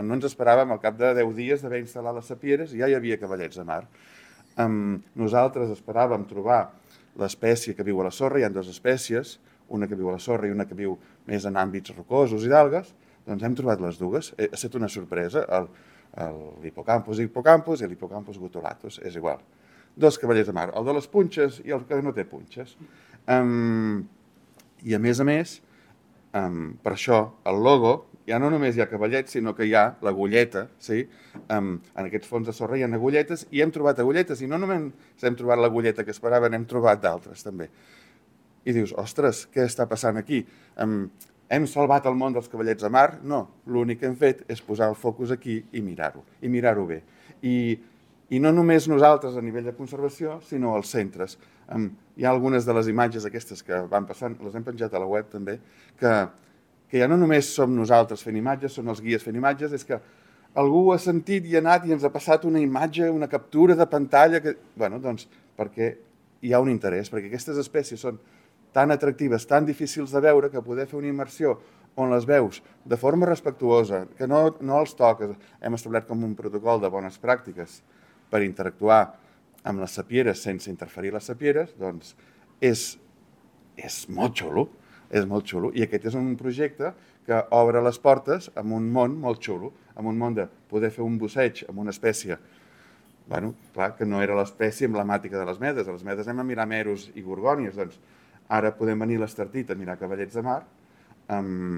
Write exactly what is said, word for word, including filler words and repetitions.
no ens esperàvem al cap de deu dies d'haver instal·lat les sapieres i ja hi havia cavallets de mar. Um, nosaltres esperàvem trobar l'espècie que viu a la sorra, hi ha dues espècies, una que viu a la sorra i una que viu més en àmbits rocosos i d'algues, doncs hem trobat les dues. Ha estat una sorpresa, l'hipocampus hipocampus i l'hipocampus gutulatus, és igual. Dos cavallets de mar, el de les punxes i el que no té punxes. Um, I a més a més, um, per això el logo, ja no només hi ha cavallets, sinó que hi ha l'agulleta, sí? Um, en aquests fons de sorra hi ha agulletes i hem trobat agulletes, i no només hem trobat l'agulleta que esperaven, hem trobat d'altres també. I dius, ostres, què està passant aquí? Um, hem salvat el món dels cavallets de mar? No, l'únic que hem fet és posar el focus aquí i mirar-ho, i mirar-ho bé. I, I no només nosaltres a nivell de conservació, sinó els centres. Um, hi ha algunes de les imatges aquestes que van passant, les hem penjat a la web també, que, que ja no només som nosaltres fent imatges, són els guies fent imatges, és que algú ha sentit i ha anat i ens ha passat una imatge, una captura de pantalla, que, bueno, doncs, perquè hi ha un interès, perquè aquestes espècies són tan atractives, tan difícils de veure, que poder fer una immersió on les veus de forma respectuosa, que no, no els toques, hem establert com un protocol de bones pràctiques per interactuar amb les sapieres sense interferir les sapieres, doncs és, és molt xulo, és molt xulo. I aquest és un projecte que obre les portes a un món molt xulo, a un món de poder fer un busseig amb una espècie, bueno, clar, que no era l'espècie emblemàtica de les medes. A les medes anem a mirar meros i gorgònies, doncs ara podem venir a l'Estartit a mirar cavallets de mar, um,